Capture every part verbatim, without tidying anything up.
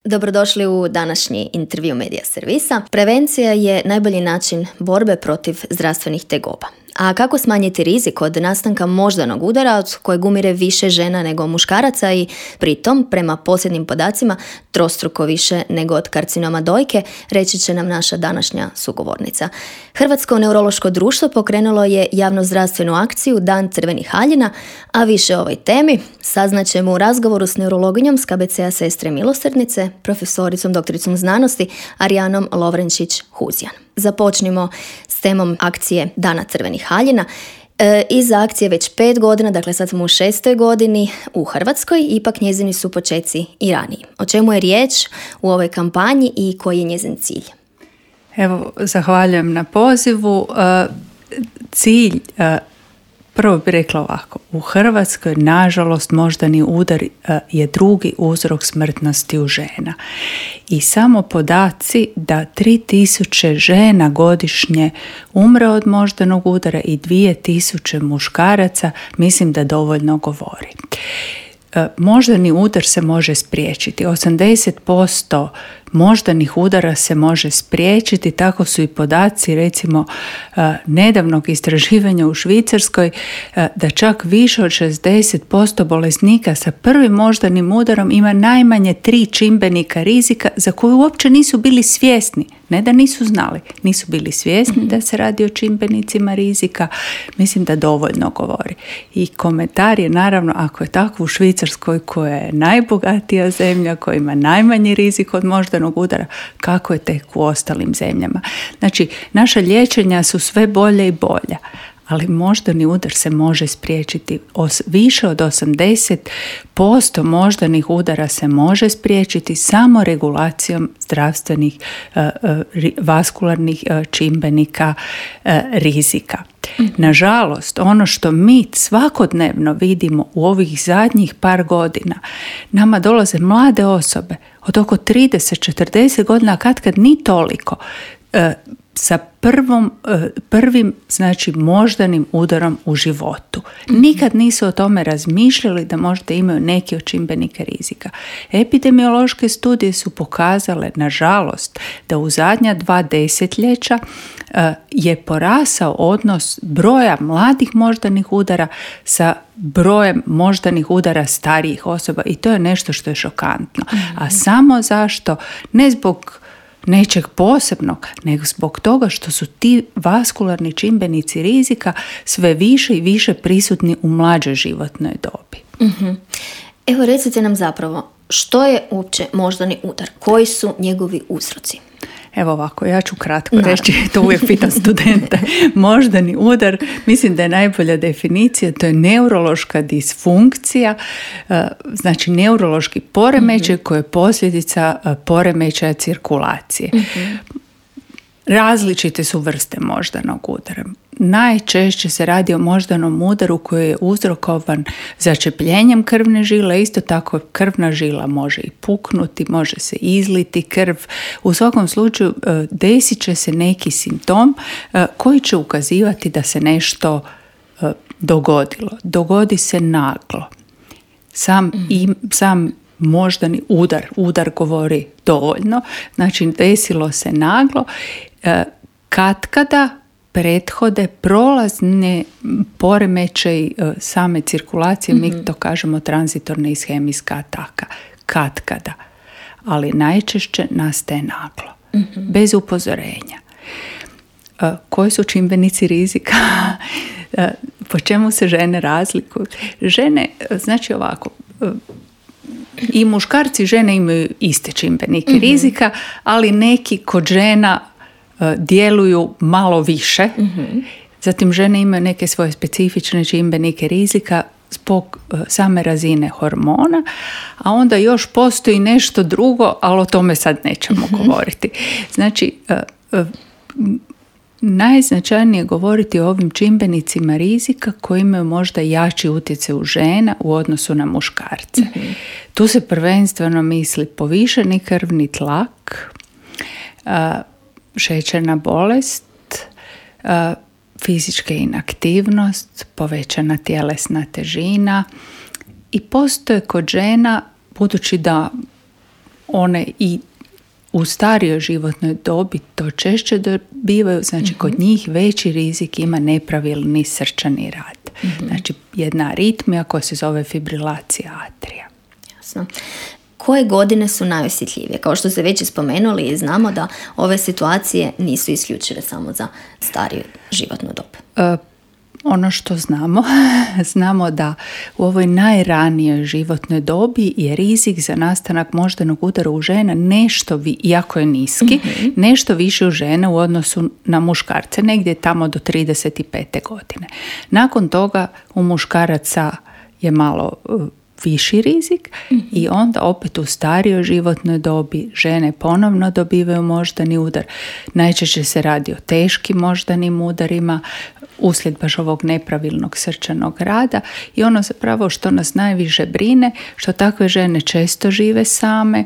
Dobrodošli u današnji intervju Medija servisa. Prevencija je najbolji način borbe protiv zdravstvenih tegoba. A kako smanjiti rizik od nastanka moždanog udara od kojeg umire više žena nego muškaraca i pritom, prema posljednjim podacima, trostruko više nego od karcinoma dojke, reći će nam naša današnja sugovornica. Hrvatsko neurološko društvo pokrenulo je javnozdravstvenu akciju Dan crvenih haljina, a više o ovoj temi saznaćemo u razgovoru s neurologinjom s K B C-a Sestre milosrdnice, profesoricom doktoricom znanosti Arijanom Lovrenčić-Huzjan. Započnimo s temom akcije Dana crvenih haljina. E, iza akcije već pet godina, dakle sad smo u šestoj godini u Hrvatskoj, ipak njezini su počeci i raniji. O čemu je riječ u ovoj kampanji i koji je njezin cilj? Evo, zahvaljujem na pozivu. E, cilj, e, prvo bih rekla ovako, u Hrvatskoj nažalost moždani udar je drugi uzrok smrtnosti u žena. I samo podaci da tri tisuće žena godišnje umre od moždanog udara i dvije tisuće muškaraca, mislim da dovoljno govori. Moždani udar se može spriječiti. osamdeset posto moždanih udara se može spriječiti, tako su i podaci recimo nedavnog istraživanja u Švicarskoj, da čak više od šezdeset posto bolesnika sa prvim moždanim udarom ima najmanje tri čimbenika rizika za koje uopće nisu bili svjesni. Ne da nisu znali, nisu bili svjesni mm-hmm. da se radi o čimbenicima rizika. Mislim da dovoljno govori. I komentar je naravno, ako je tako u Švicarskoj koja je najbogatija zemlja, koja ima najmanji rizik od moždanog udara, kako je tek u ostalim zemljama. Znači, naša liječenja su sve bolje i bolja, ali moždani udar se može spriječiti. Os, više od osamdeset posto moždanih udara se može spriječiti samo regulacijom zdravstvenih uh, uh, vaskularnih uh, čimbenika uh, rizika. Mm-hmm. Nažalost, ono što mi svakodnevno vidimo u ovih zadnjih par godina, nama dolaze mlade osobe od oko trideset do četrdeset godina, kad kad ni toliko, uh, sa prvom, prvim, znači moždanim udarom u životu. Nikad nisu o tome razmišljali da možda imaju neki od čimbenika rizika. Epidemiološke studije su pokazale, nažalost, da u zadnja dva desetljeća je porasao odnos broja mladih moždanih udara sa brojem moždanih udara starijih osoba i to je nešto što je šokantno. A samo zašto? Ne zbog nečeg posebnog, nego zbog toga što su ti vaskularni čimbenici rizika sve više i više prisutni u mlađoj životnoj dobi. Mm-hmm. Evo, recite nam zapravo, što je uopće moždani udar? Koji su njegovi uzroci? Evo ovako, ja ću kratko Naravno. reći, to uvijek pitam studente. Moždani udar, mislim da je najbolja definicija, to je neurološka disfunkcija, znači neurološki poremećaj mm-hmm. koji je posljedica poremećaja cirkulacije. Mm-hmm. Različite su vrste moždanog udara. Najčešće se radi o moždanom udaru koji je uzrokovan začepljenjem krvne žile. Isto tako krvna žila može i puknuti, može se izliti krv. U svakom slučaju desit će se neki simptom koji će ukazivati da se nešto dogodilo. Dogodi se naglo. Sam, mm. i, sam moždani udar, udar govori dovoljno, znači desilo se naglo. Katkada prethode prolazne poremećaj same cirkulacije, mm-hmm. mi to kažemo tranzitorna ishemijska ataka. Katkada. Ali najčešće nastaje naglo, mm-hmm. bez upozorenja. Koji su čimbenici rizika? Po čemu se žene razlikuju? Žene, znači ovako, i muškarci i žene imaju iste čimbenike mm-hmm. rizika, ali neki kod žena djeluju malo više. Mm-hmm. Zatim žene imaju neke svoje specifične čimbenike rizika zbog same razine hormona, a onda još postoji nešto drugo, ali o tome sad nećemo mm-hmm. govoriti. Znači, najznačajnije govoriti o ovim čimbenicima rizika koji imaju možda jači utjecaj u žena u odnosu na muškarce. Mm-hmm. Tu se prvenstveno misli povišeni krvni tlak, šećerna bolest, fizička inaktivnost, povećana tjelesna težina i postoje kod žena, budući da one i u starijoj životnoj dobi to češće dobivaju, znači mm-hmm. kod njih veći rizik ima nepravilni srčani rad. Mm-hmm. Znači jedna aritmija koja se zove fibrilacija atrija. Jasno. Koje godine su najosjetljivije? Kao što ste već spomenuli i znamo da ove situacije nisu isključive samo za stariju životnu dob. E, ono što znamo, znamo da u ovoj najranijoj životnoj dobi je rizik za nastanak moždanog udara u žena nešto, vi, iako je niski, mm-hmm. nešto više u žene u odnosu na muškarce, negdje tamo do trideset pete godine. Nakon toga u muškaraca je malo viši rizik mm-hmm. i onda opet u starijoj životnoj dobi žene ponovno dobivaju moždani udar. Najčešće se radi o teškim moždanim udarima uslijed baš ovog nepravilnog srčanog rada i ono zapravo što nas najviše brine, što takve žene često žive same.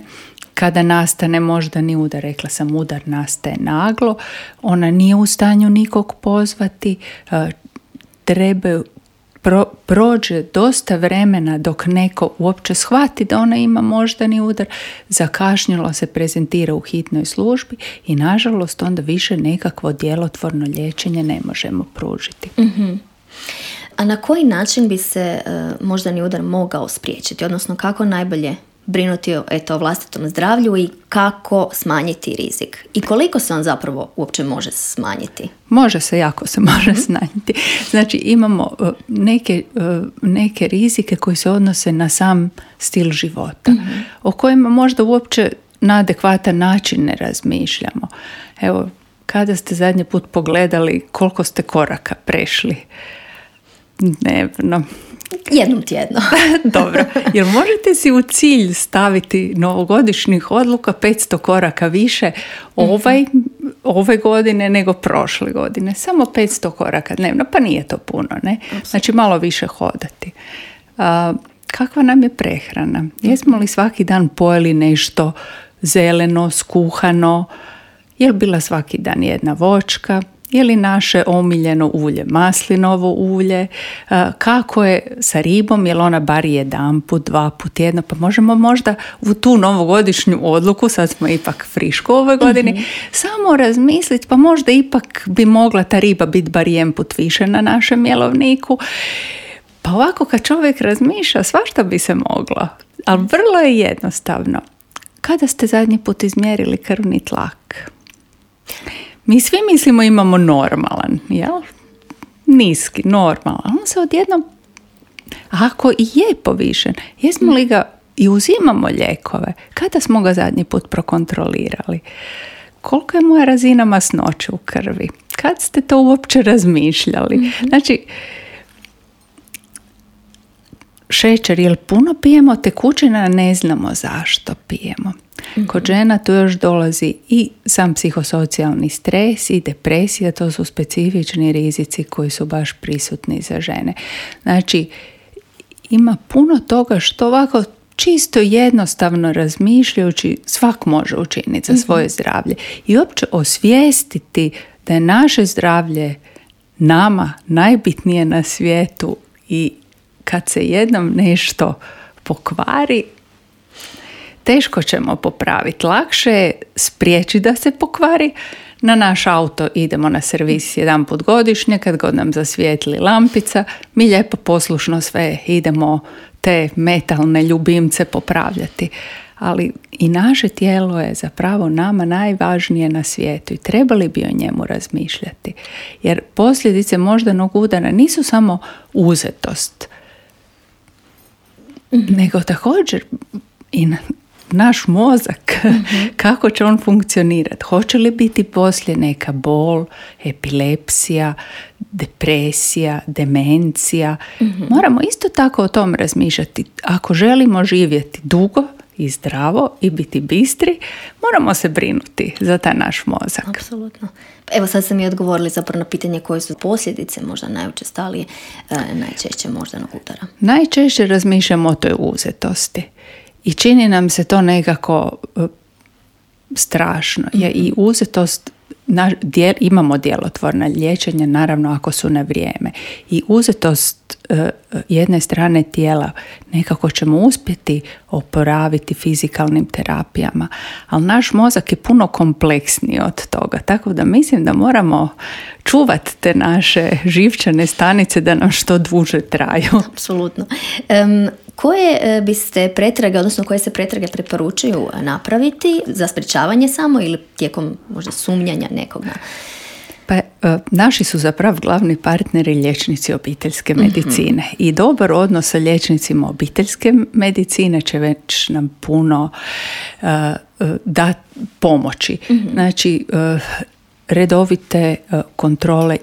Kada nastane moždani udar, rekla sam udar nastaje naglo, ona nije u stanju nikog pozvati, trebaju Pro, prođe dosta vremena dok neko uopće shvati da ona ima moždani udar, zakašnjelo se prezentira u hitnoj službi i nažalost onda više nekakvo djelotvorno liječenje ne možemo pružiti. Mm-hmm. A na koji način bi se uh, moždani udar mogao spriječiti, odnosno kako najbolje brinuti o, eto, o vlastitom zdravlju i kako smanjiti rizik? I koliko se on zapravo uopće može smanjiti? Može se, jako se može mm-hmm. smanjiti. Znači imamo uh, neke, uh, neke rizike koji se odnose na sam stil života, mm-hmm. o kojima možda uopće na adekvatan način ne razmišljamo. Evo, kada ste zadnji put pogledali koliko ste koraka prešli dnevno? Jednom tjedno. Dobro. Jer možete si u cilj staviti novogodišnjih odluka petsto koraka više ovaj, ove godine nego prošle godine. Samo petsto koraka dnevno, pa nije to puno, ne? Znači malo više hodati. A, kakva nam je prehrana? Jesmo li svaki dan pojeli nešto zeleno, skuhano? Je li bila svaki dan jedna voćka? Je li naše omiljeno ulje maslinovo ulje? Kako je sa ribom? Je li ona bar jedan put, dva put tjedno? Pa možemo možda u tu novogodišnju odluku, sad smo ipak friško ove godine, mm-hmm. samo razmisliti, pa možda ipak bi mogla ta riba biti bar jedan put više na našem jelovniku. Pa ovako kad čovjek razmišlja, svašta bi se moglo. Ali vrlo je jednostavno. Kada ste zadnji put izmjerili krvni tlak? Mi svi mislimo imamo normalan, jel? Niski, normalan. On se odjednom, ako i je povišen, jesmo li ga i uzimamo lijekove? Kada smo ga zadnji put prokontrolirali? Koliko je moja razina masnoće u krvi? Kad ste to uopće razmišljali? Mm-hmm. Znači, šećer, jel puno pijemo tekućina, ne znamo zašto pijemo. Mm-hmm. Kod žena tu još dolazi i sam psihosocijalni stres i depresija, to su specifični rizici koji su baš prisutni za žene. Znači, ima puno toga što ovako čisto jednostavno razmišljajući svak može učiniti za svoje mm-hmm. zdravlje i uopće osvijestiti da je naše zdravlje nama najbitnije na svijetu i kad se jednom nešto pokvari, teško ćemo popraviti. Lakše je spriječiti da se pokvari. Na naš auto idemo na servis jedan put godišnje, kad god nam zasvijetli lampica, mi lijepo poslušno sve idemo te metalne ljubimce popravljati. Ali i naše tijelo je zapravo nama najvažnije na svijetu i trebali bi o njemu razmišljati. Jer posljedice moždanog udara nisu samo uzetost, mm-hmm. nego također i na naš mozak, mm-hmm. kako će on funkcionirati. Hoće li biti poslije neka bol, epilepsija, depresija, demencija. Mm-hmm. Moramo isto tako o tom razmišljati. Ako želimo živjeti dugo i zdravo i biti bistri, moramo se brinuti za taj naš mozak. Apsolutno. Evo sad ste mi odgovorili zapravo na pitanje koje su posljedice možda najučestalije, e, najčešće moždanog udara. Najčešće razmišljamo o toj uzetosti. I čini nam se to nekako uh, strašno. Mm-hmm. Je i uzetost Na, djel, imamo djelotvorna liječenja, naravno ako su na vrijeme. I uzetost uh, jedne strane tijela nekako ćemo uspjeti oporaviti fizikalnim terapijama, ali naš mozak je puno kompleksniji od toga. Tako da mislim da moramo čuvati te naše živčane stanice da nam što duže traju. Apsolutno. Um, koje biste pretrage, odnosno koje se pretrage preporučuju napraviti za sprječavanje samo ili tijekom možda sumnjanja nekog na... Pa, naši su zapravo glavni partneri liječnici obiteljske medicine mm-hmm. i dobar odnos sa liječnicima obiteljske medicine će već nam puno uh, da pomoći. Mm-hmm. Znači, uh, redovite uh, kontrole,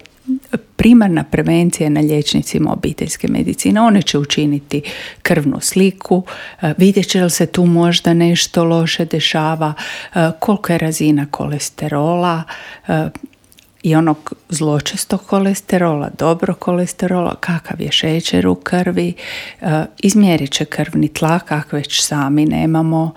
primarna prevencija na liječnicima obiteljske medicine. One će učiniti krvnu sliku, vidjet će li se tu možda nešto loše dešava, kolika je razina kolesterola i onog zločestog kolesterola, dobro kolesterola, kakav je šećer u krvi, izmjerit će krvni tlak, kako već sami nemamo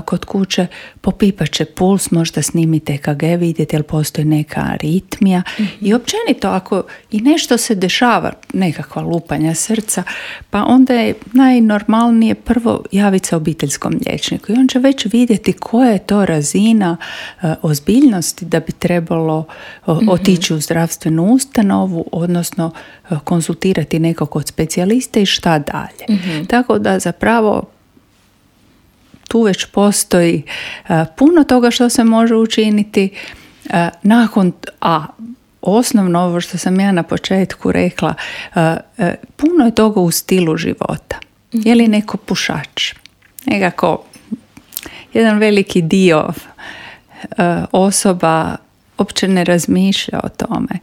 kod kuće, popipat će puls, možda snimite E K G, vidjeti jel postoji neka aritmija mm-hmm. i općenito ako i nešto se dešava, nekakva lupanja srca, pa onda je najnormalnije prvo javiti se obiteljskom liječniku i on će već vidjeti koja je to razina uh, ozbiljnosti da bi trebalo uh, mm-hmm. otići u zdravstvenu ustanovu, odnosno uh, konzultirati nekog od specijalista i šta dalje. Mm-hmm. Tako da zapravo tu već postoji uh, puno toga što se može učiniti. Uh, nakon, a osnovno ovo što sam ja na početku rekla, uh, uh, puno je toga u stilu života. Mm-hmm. Je li neko pušač? Nekako jedan veliki dio uh, osoba uopće ne razmišlja o tome.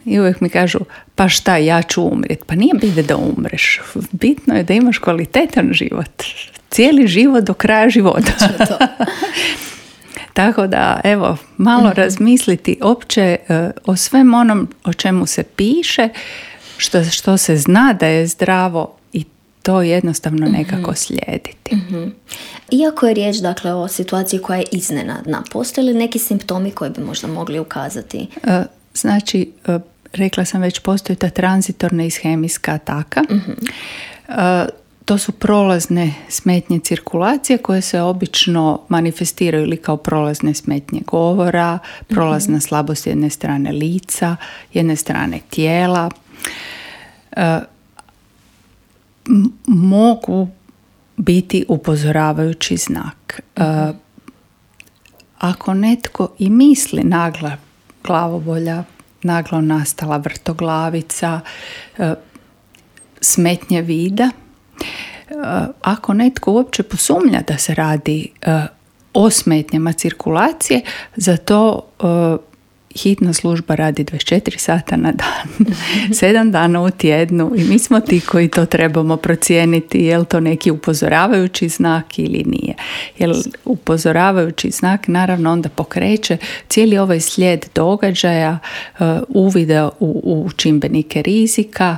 I uvijek mi kažu, pa šta, ja ću umrijeti. Pa nije bitno da umreš. Bitno je da imaš kvalitetan život. Cijeli život do kraja života. Tako da, evo, malo mm-hmm. razmisliti opće uh, o svem onom o čemu se piše, što, što se zna da je zdravo i to jednostavno nekako mm-hmm. slijediti. Mm-hmm. Iako je riječ, dakle, o situaciji koja je iznenadna, postoje li neki simptomi koji bi možda mogli ukazati? Uh, znači, uh, rekla sam već, postoji ta tranzitorna ishemijska ataka. Mm-hmm. Uh, To su prolazne smetnje cirkulacije koje se obično manifestiraju ili kao prolazne smetnje govora, prolazna mm-hmm. slabost jedne strane lica, jedne strane tijela. E, m- mogu biti upozoravajući znak. E, ako netko i misli nagla glavobolja, naglo nastala vrtoglavica, e, smetnje vida, ako netko uopće posumnja da se radi uh, o smetnjama cirkulacije, za to uh, hitna služba radi dvadeset četiri sata na dan, sedam dana u tjednu i mi smo ti koji to trebamo procijeniti je li to neki upozoravajući znak ili nije. Jer upozoravajući znak naravno onda pokreće cijeli ovaj slijed događaja, uh, uvida u, u čimbenike rizika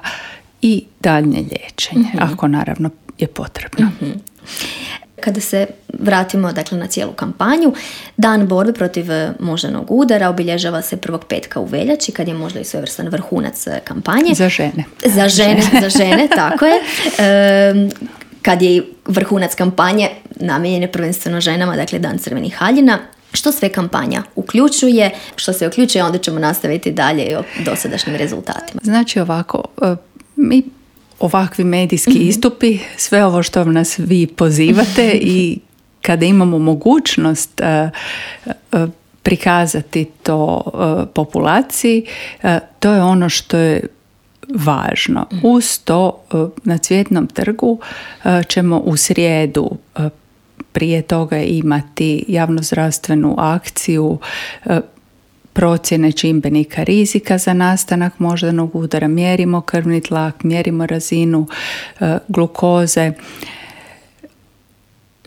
i daljnje liječenje, mm-hmm. ako naravno je potrebno. Mm-hmm. Kada se vratimo, dakle, na cijelu kampanju, Dan borbe protiv moždanog udara obilježava se prvog petka u veljači, kad je možda i svojevrstan vrhunac kampanje. Za žene. Za žene, za žene, tako je. E, kad je vrhunac kampanje namijenjen je prvenstveno ženama, dakle Dan crvenih haljina. Što sve kampanja uključuje, što se uključuje, onda ćemo nastaviti dalje o dosadašnjim rezultatima. Znači ovako, mi ovakvi medijski mm-hmm. istupi, sve ovo što nas vi pozivate i kada imamo mogućnost uh, uh, prikazati to uh, populaciji, uh, to je ono što je važno. Mm-hmm. Uz to uh, na Cvjetnom trgu uh, ćemo u srijedu uh, prije toga imati javnozdravstvenu akciju uh, procjene čimbenika rizika za nastanak moždanog udara, mjerimo krvni tlak, mjerimo razinu uh, glukoze.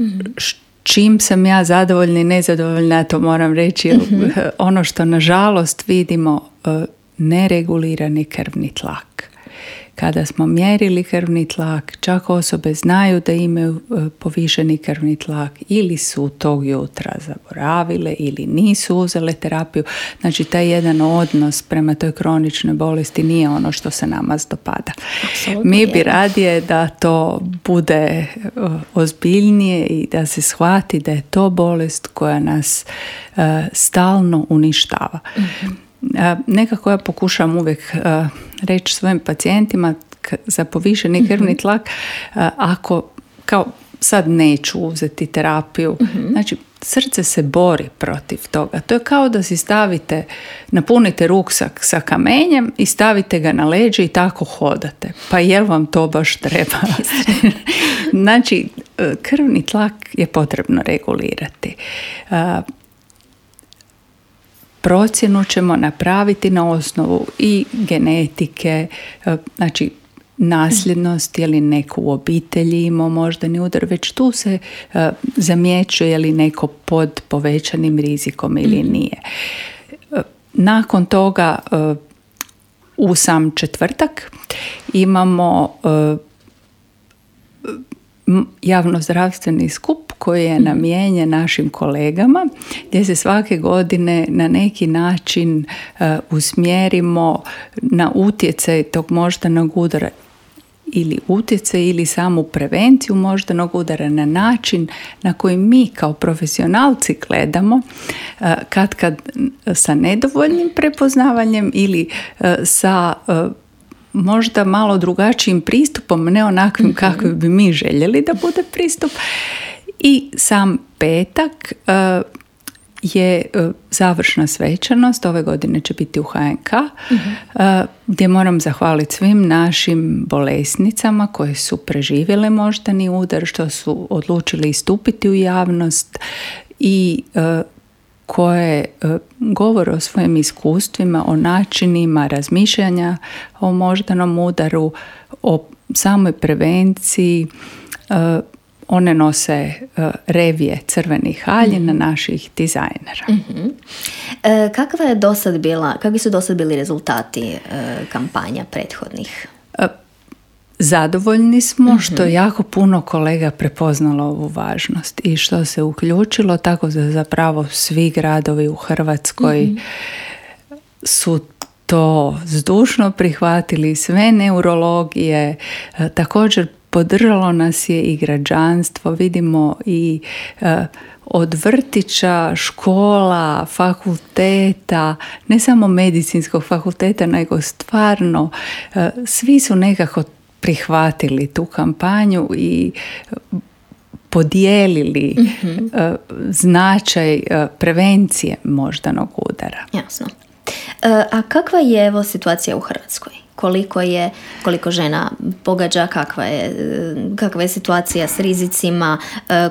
Mm-hmm. Čim sam ja zadovoljna i nezadovoljna, to moram reći, mm-hmm. ono što nažalost vidimo, uh, neregulirani krvni tlak. Kada smo mjerili krvni tlak, čak osobe znaju da imaju povišeni krvni tlak ili su tog jutra zaboravile ili nisu uzele terapiju. Znači, taj jedan odnos prema toj kroničnoj bolesti nije ono što se nama dopada. Absolutno Mi bi je. radije da to bude ozbiljnije i da se shvati da je to bolest koja nas uh, stalno uništava. Mm-hmm. Nekako ja pokušam uvijek uh, reći svojim pacijentima k- za povišeni krvni tlak, uh, ako kao sad neću uzeti terapiju, mm-hmm. znači srce se bori protiv toga. To je kao da si stavite, napunite ruksak sa kamenjem i stavite ga na leđe i tako hodate. Pa jel vam to baš treba? Znači, krvni tlak je potrebno regulirati. Uh, Procjenu ćemo napraviti na osnovu i genetike, znači nasljednost, je li neko u obitelji imao moždani udar, već tu se uh, zamjećuje je li neko pod povećanim rizikom ili nije. Uh, nakon toga uh, u sam četvrtak imamo uh, javnozdravstveni skup koji je namijenjen našim kolegama, gdje se svake godine na neki način uh, usmjerimo na utjecaj tog moždanog udara ili utjecaj ili samu prevenciju moždanog udara na način na koji mi kao profesionalci gledamo, uh, kad kad sa nedovoljnim prepoznavanjem ili uh, sa uh, možda malo drugačijim pristupom, ne onakvim mm-hmm. kakvim bi mi željeli da bude pristup. I sam petak uh, je uh, završna svečanost, ove godine će biti u H N K, mm-hmm. uh, gdje moram zahvaliti svim našim bolesnicama koje su preživjele moždani udar, što su odlučili istupiti u javnost i uh, koje uh, govore o svojim iskustvima, o načinima razmišljanja o moždanom udaru, o samoj prevenciji. Uh, one nose uh, revije crvenih haljina mm-hmm. naših dizajnera. Mm-hmm. E, kakva je dosad bila, kakvi su dosad bili rezultati e, kampanja prethodnih? Uh, Zadovoljni smo mm-hmm. što je jako puno kolega prepoznalo ovu važnost i što se uključilo, tako da zapravo svi gradovi u Hrvatskoj mm-hmm. su to zdušno prihvatili, sve neurologije, također podržalo nas je i građanstvo, vidimo i e, od vrtića, škola, fakulteta, ne samo medicinskog fakulteta, nego stvarno e, svi su nekako prihvatili tu kampanju i podijelili mm-hmm. e, značaj e, prevencije moždanog udara. Jasno. E, a kakva je evo situacija u Hrvatskoj? Koliko je, koliko žena pogađa, kakva je, kakva je situacija s rizicima,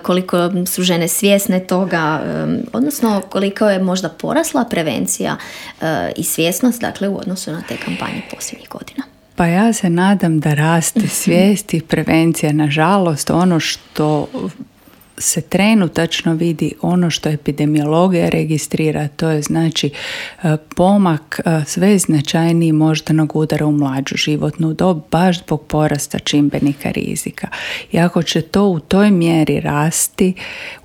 koliko su žene svjesne toga, odnosno koliko je možda porasla prevencija i svjesnost, dakle, u odnosu na te kampanje posljednjih godina? Pa ja se nadam da raste svijest i prevencija. Nažalost, ono što se trenutačno vidi, ono što epidemiologija registrira, to je znači pomak sve značajniji moždanog udara u mlađu životnu dob, baš zbog porasta čimbenika rizika. I ako će to u toj mjeri rasti,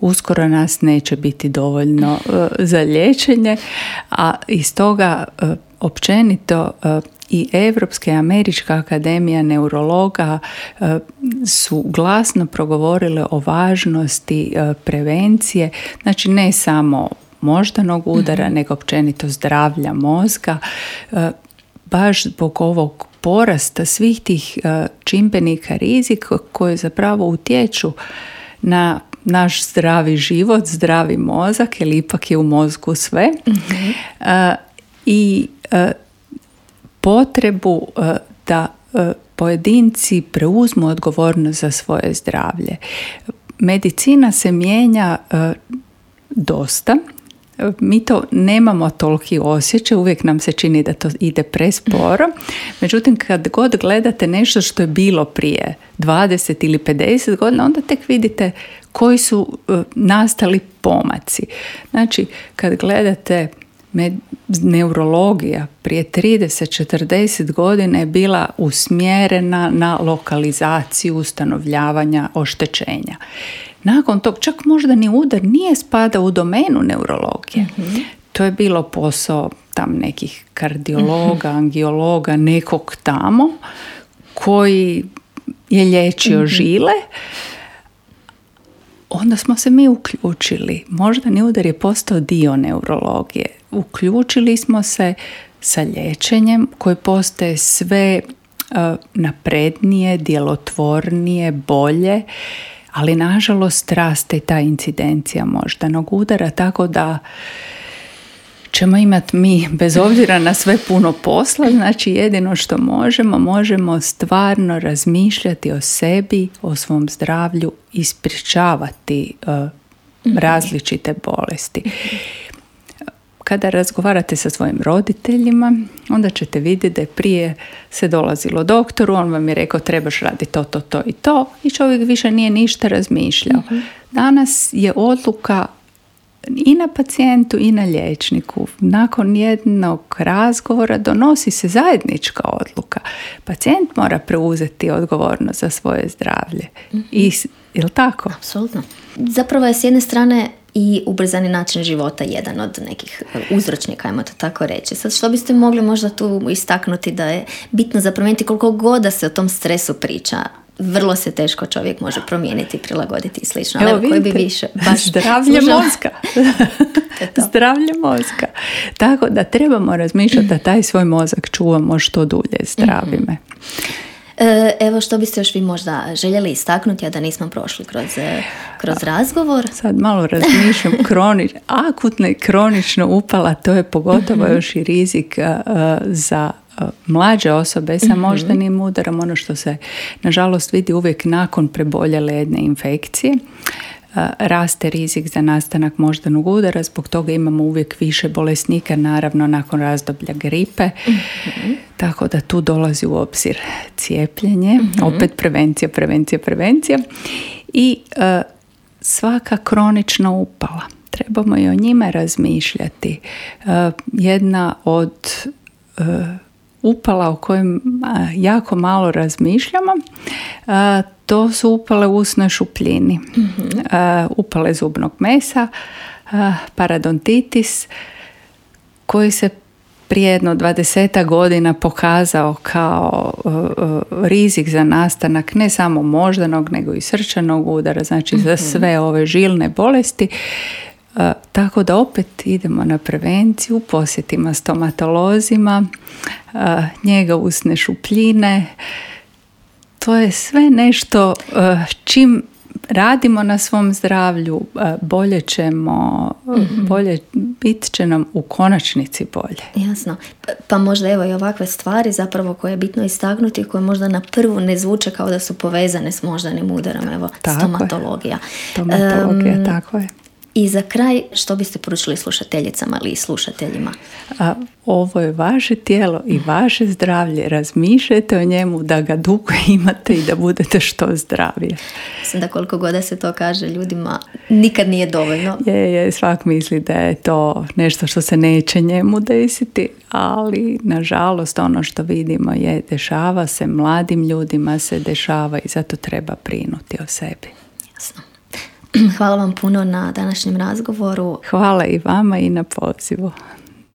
uskoro nas neće biti dovoljno za liječenje, a iz toga općenito i Europska i Američka akademija neurologa e, su glasno progovorile o važnosti e, prevencije, znači ne samo moždanog udara, mm-hmm. nego općenito zdravlja mozga, e, baš zbog ovog porasta svih tih e, čimbenika rizika koji zapravo utječu na naš zdravi život, zdravi mozak, jer ipak je u mozgu sve. Mm-hmm. E, I e, potrebu da pojedinci preuzmu odgovornost za svoje zdravlje. Medicina se mijenja dosta. Mi to nemamo toliki osjećaj, uvijek nam se čini da to ide presporo. Međutim, kad god gledate nešto što je bilo prije dvadeset ili pedeset godina, onda tek vidite koji su nastali pomaci. Znači, kad gledate med- neurologija prije trideset do četrdeset godina je bila usmjerena na lokalizaciju ustanovljavanja oštećenja. Nakon tog čak možda ni udar nije spada u domenu neurologije. Mm-hmm. To je bilo posao tam nekih kardiologa, mm-hmm. angiologa, nekog tamo koji je liječio mm-hmm. žile. Onda smo se mi uključili. Moždani udar je postao dio neurologije. Uključili smo se sa liječenjem koje postaje sve uh, naprednije, djelotvornije, bolje, ali nažalost raste ta incidencija moždanog udara, tako da ćemo imati mi, bez obzira na sve, puno posla. Znači jedino što možemo, možemo stvarno razmišljati o sebi, o svom zdravlju i sprječavati uh, različite bolesti. Kada razgovarate sa svojim roditeljima, onda ćete vidjeti da je prije se dolazilo doktoru, on vam je rekao trebaš raditi to, to, to i to i čovjek više nije ništa razmišljao. Mm-hmm. Danas je odluka i na pacijentu i na liječniku. Nakon jednog razgovora donosi se zajednička odluka. Pacijent mora preuzeti odgovornost za svoje zdravlje. Mm-hmm. I, je li tako? Apsolutno. Zapravo je s jedne strane i ubrzani način života jedan od nekih uzročnika, ajmo to tako reći. Sad što biste mogli možda tu istaknuti da je bitno za promijeniti koliko god da se o tom stresu priča, vrlo se teško čovjek može promijeniti, prilagoditi i slično. Evo, ali koji bi više baš zdravlje služao. mozga. Zdravlje mozga. Tako da trebamo razmišljati da taj svoj mozak čuvamo što dulje, zdravi me. Evo što biste još vi možda željeli istaknuti, a da nismo prošli kroz, kroz razgovor. Sad malo razmišljam, kronič, akutna i kronično upala, to je pogotovo još i rizik uh, za uh, mlađe osobe sa moždanim udarom, ono što se nažalost vidi uvijek nakon preboljele jedne infekcije. Uh, raste rizik za nastanak moždanog udara, zbog toga imamo uvijek više bolesnika, naravno nakon razdoblja gripe, mm-hmm. tako da tu dolazi u obzir cijepljenje, mm-hmm. opet prevencija, prevencija, prevencija i uh, svaka kronična upala. Trebamo i o njima razmišljati. Uh, jedna od uh, upala o kojim uh, jako malo razmišljamo, uh, to su upale u usnoj šupljini, mm-hmm. uh, upale zubnog mesa, uh, paradontitis, koji se prije jedno dvadesetak godina pokazao kao uh, uh, rizik za nastanak ne samo moždanog, nego i srčanog udara, znači mm-hmm. za sve ove žilne bolesti. Uh, tako da opet idemo na prevenciju, posjetima stomatolozima, uh, njega usne šupljine. To je sve nešto uh, čim radimo na svom zdravlju, uh, bolje ćemo, mm-hmm. bolje, bit će nam u konačnici bolje. Jasno. Pa možda evo i ovakve stvari zapravo koje je bitno istaknuti, koje možda na prvu ne zvuče kao da su povezane s moždanim udarom, evo tako stomatologija. Je. Stomatologija, um, tako je. I za kraj, što biste poručili slušateljicama ili slušateljima? A, ovo je vaše tijelo i vaše zdravlje. Razmišljajte o njemu da ga dugo imate i da budete što zdravije. Mislim da koliko god da se to kaže ljudima, nikad nije dovoljno. Je, je, svak misli da je to nešto što se neće njemu desiti, ali nažalost ono što vidimo je dešava se, mladim ljudima se dešava i zato treba brinuti o sebi. Jasno. Hvala vam puno na današnjem razgovoru. Hvala i vama i na pozivu.